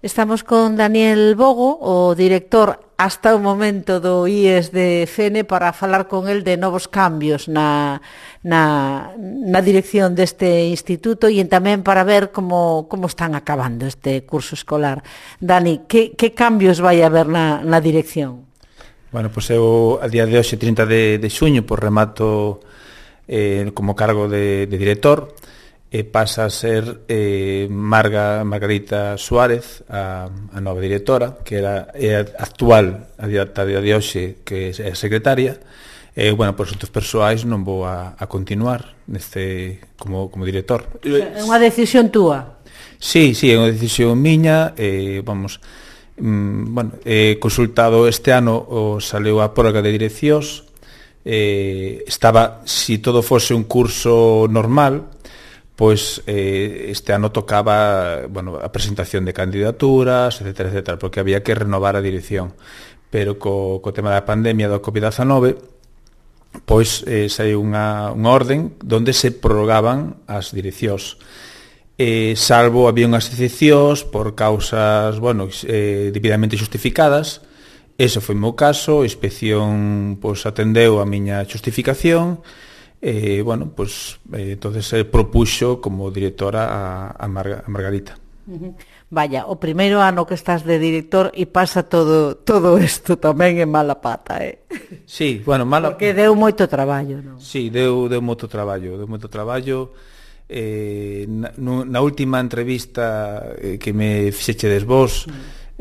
Estamos con Daniel Bogo, o director hasta o momento do IES de Fene, para falar con el de novos cambios na dirección deste instituto e tamén para ver como están acabando este curso escolar. Dani, que cambios vai haber na dirección? Bueno, pois eu a día de hoxe, 30 de xuño, pois remato como cargo de director, e pasa a ser Margarita Suárez, a nova directora, que era actual a día de hoxe, que é secretaria. Bueno, por asuntos persoais non vou a continuar como director. É unha decisión túa? Sí, é unha decisión miña. Consultado este ano, saleu a prórroga de direccións. Estaba, si todo fose un curso normal, pois este ano tocaba a presentación de candidaturas, etcétera, porque había que renovar a dirección. Pero co tema da pandemia do COVID-19, pois saiu unha orden onde se prorrogaban as direccións. Salvo había unhas excepcións por causas, debidamente justificadas. Ese foi o meu caso. A inspección atendeu a miña justificación. Entonces propuxo como directora a Margarita. Vaya, o primeiro ano que estás de director e pasa todo isto tamén en mala pata, Sí, mala... Porque deu moito traballo, non? Sí, deu moito traballo, na última entrevista que me fixechedes vos,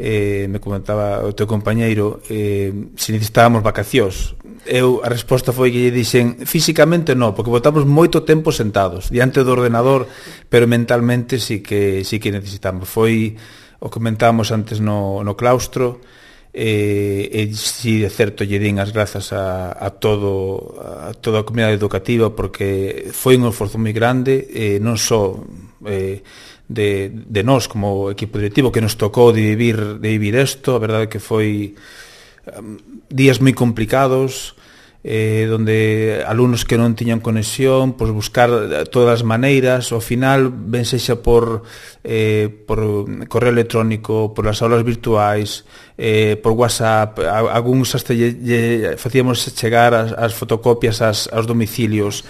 me comentaba o teu compañeiro se necesitábamos vacacións. A resposta foi que lle dixen físicamente non, porque botamos moito tempo sentados diante do ordenador, pero mentalmente sí que necesitamos. Foi o que comentábamos antes no claustro, e si de certo lle din as grazas a toda a comunidade educativa, porque foi un esforzo moi grande, non só de nós como equipo directivo, que nos tocou de vivir isto. A verdade é que foi días moi complicados, donde alumnos que non tiñan conexión, pois buscar todas as maneiras. Ao final, ben sexa por correo electrónico, por as aulas virtuais, por WhatsApp, algúns hasta facíamos chegar as fotocopias aos domicilios.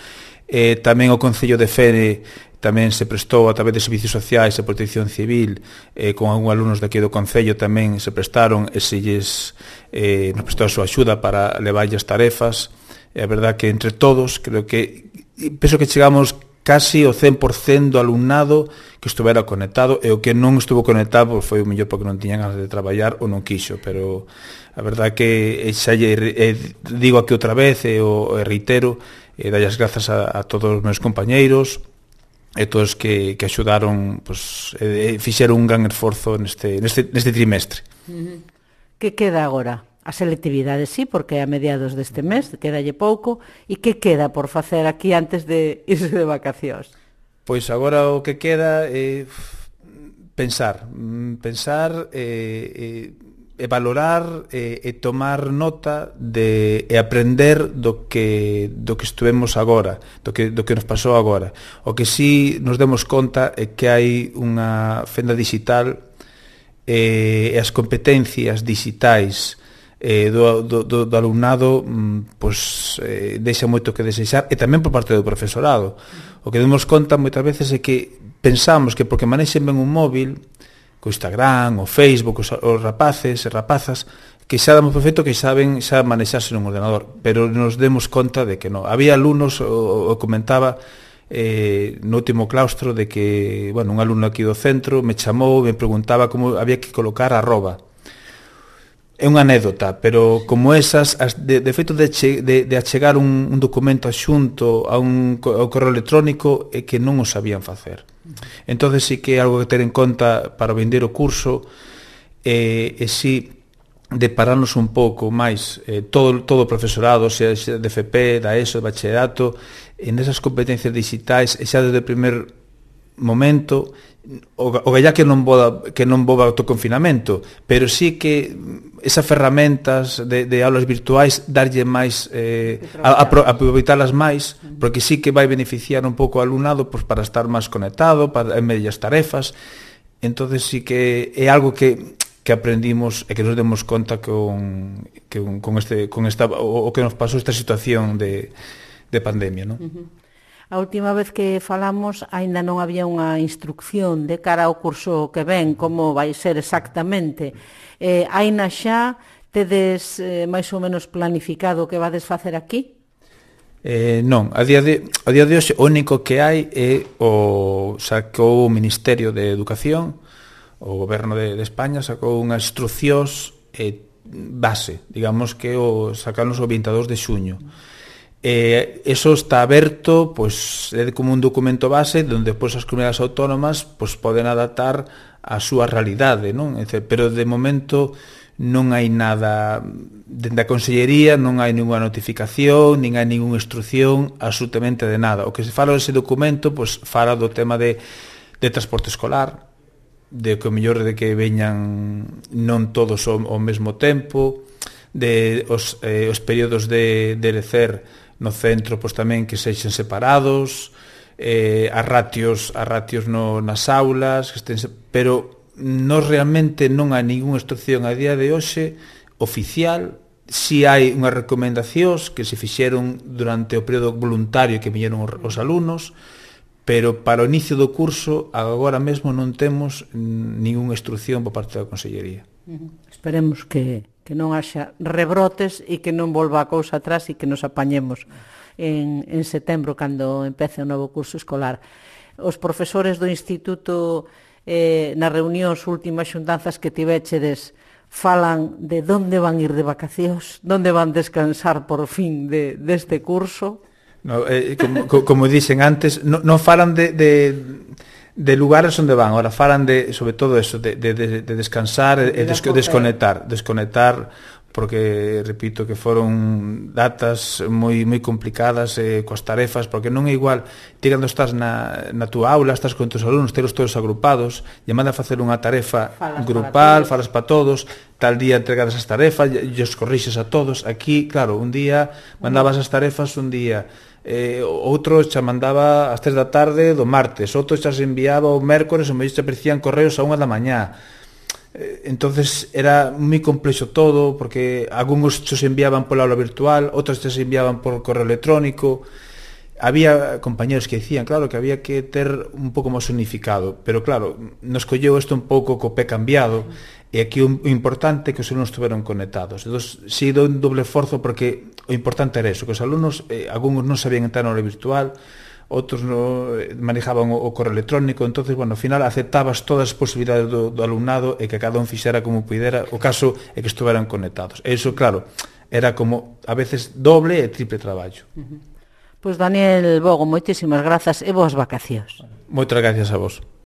Tamén o Concello de Fene tamén se prestou a través de servicios sociais e protección civil, con algúns alumnos daqui do Concello tamén se prestaron e nos prestou a súa axuda para levarlle as tarefas. E a verdad que entre todos penso que chegamos casi o 100% do alumnado que estuvera conectado, e o que non estuvo conectado foi o mellor porque non tiñan ganas de traballar ou non quixo. Pero a verdad que xa digo aquí outra vez e reitero, dalle as grazas a todos os meus compañeiros e todos que axudaron, fixeron un gran esforzo neste trimestre. Que queda agora? A selectividade, sí, porque a mediados deste mes, quedalle pouco. E que queda por facer aquí antes de irse de vacacións? Pois agora o que queda é pensar e valorar e tomar nota e aprender do que estuvemos agora, do que nos pasou agora. O que sí nos demos conta é que hai unha fenda digital, e as competencias digitais do alumnado deixa moito que desexar, e tamén por parte do profesorado. O que demos conta moitas veces é que pensamos que porque manexen ben un móvil, co Instagram, o Facebook, os rapaces e rapazas, que xa damos por feito que saben xa manexarse nun ordenador, pero nos demos conta de que non. Había alumnos, o comentaba no último claustro, de que un alumno aquí do centro me chamou e me preguntaba como había que colocar arroba. É unha anécdota, pero como esas, de feito de achegar un documento xunto ao correo electrónico, é que non o sabían facer. Entón, sí que é algo que ter en conta para vender o curso, e si de pararnos un pouco máis, todo o profesorado, xa de FP, da ESO, de bachillerato, en esas competencias digitais, e xa desde o primer momento, o gallá que non voba autoconfinamento, pero sí que esas ferramentas de aulas virtuais, darlle máis, aproveitalas máis, porque sí que vai beneficiar un pouco ao alumnado para estar máis conectado, para en medio das tarefas, entonces sí que é algo que aprendimos e que nos demos conta con esta, o que nos pasou esta situación de pandemia, non? A última vez que falamos aínda non había unha instrucción de cara ao curso que ven, como vai ser exactamente. Aínda xa tedes máis ou menos planificado o que vades facer aquí? Non, a día de hoxe o único que hai é sacou o Ministerio de Educación, o Goberno de España sacou unhas instruccións base, digamos que sacaron o 22 de xuño. Eso está aberto, pois é como un documento base onde depois as comunidades autónomas pois poden adaptar a súa realidade, non? Pero de momento non hai nada dende a Consellería, non hai ninguna notificación, nin hai ninguna instrucción absolutamente de nada. O que se fala dese documento pois fala do tema de transporte escolar, de que o mellor de que veñan non todos ao mesmo tempo, de os períodos de lecer no centro pois tamén que sexen separados, as ratios nas aulas, pero nós realmente non hai ninguna instrucción a día de hoxe oficial. Si hai unhas recomendacións que se fixeron durante o período voluntario que viñeron os alumnos, pero para o inicio do curso agora mesmo non temos ninguna instrucción por parte da Consellería. Esperemos que non haxa rebrotes e que non volva a cousa atrás e que nos apañemos en setembro cando empece o novo curso escolar. Os profesores do Instituto nas reunións últimas xuntanzas que tivéchedes falan de onde van ir de vacacións, onde van descansar por fin deste curso. No, como dixen antes, non falan de lugares onde van, ahora falan sobre todo eso, de descansar e desconectar, porque, repito, que foron datas moi complicadas coas tarefas, porque non é igual ti cando estás na túa aula, estás con tus alumnos, telos todos agrupados, e manda a facer unha tarefa grupal, falas para todos, tal día entregades as tarefas, e os corrixes a todos. Aquí, claro, un día mandabas as tarefas, un día outro xa mandaba ás 3 da tarde do martes, outro xa se enviaba o mércores, o mellor xa aparecían correos a 1 da mañá. Entonces era moi complexo todo, porque algúns se enviaban pola aula virtual, outros se enviaban por correo electrónico. Había compañeros que decían, claro, que había que ter un pouco máis unificado, pero claro, nos colleu isto un pouco co pé cambiado, e aquí o importante é que os alumnos estuveron conectados. Entón, si do un doble esforzo, porque o importante era eso, que os alumnos, algúns non sabían entrar na aula virtual, outros manejaban o correo electrónico, entonces, bueno, ao final aceptabas todas as posibilidades do alumnado e que cada un fixera como pudera, o caso é que estuveran conectados. E iso, claro, era como a veces doble e triple traballo. Pois Daniel Bogo, moitísimas grazas e boas vacacións. Moitas gracias a vos.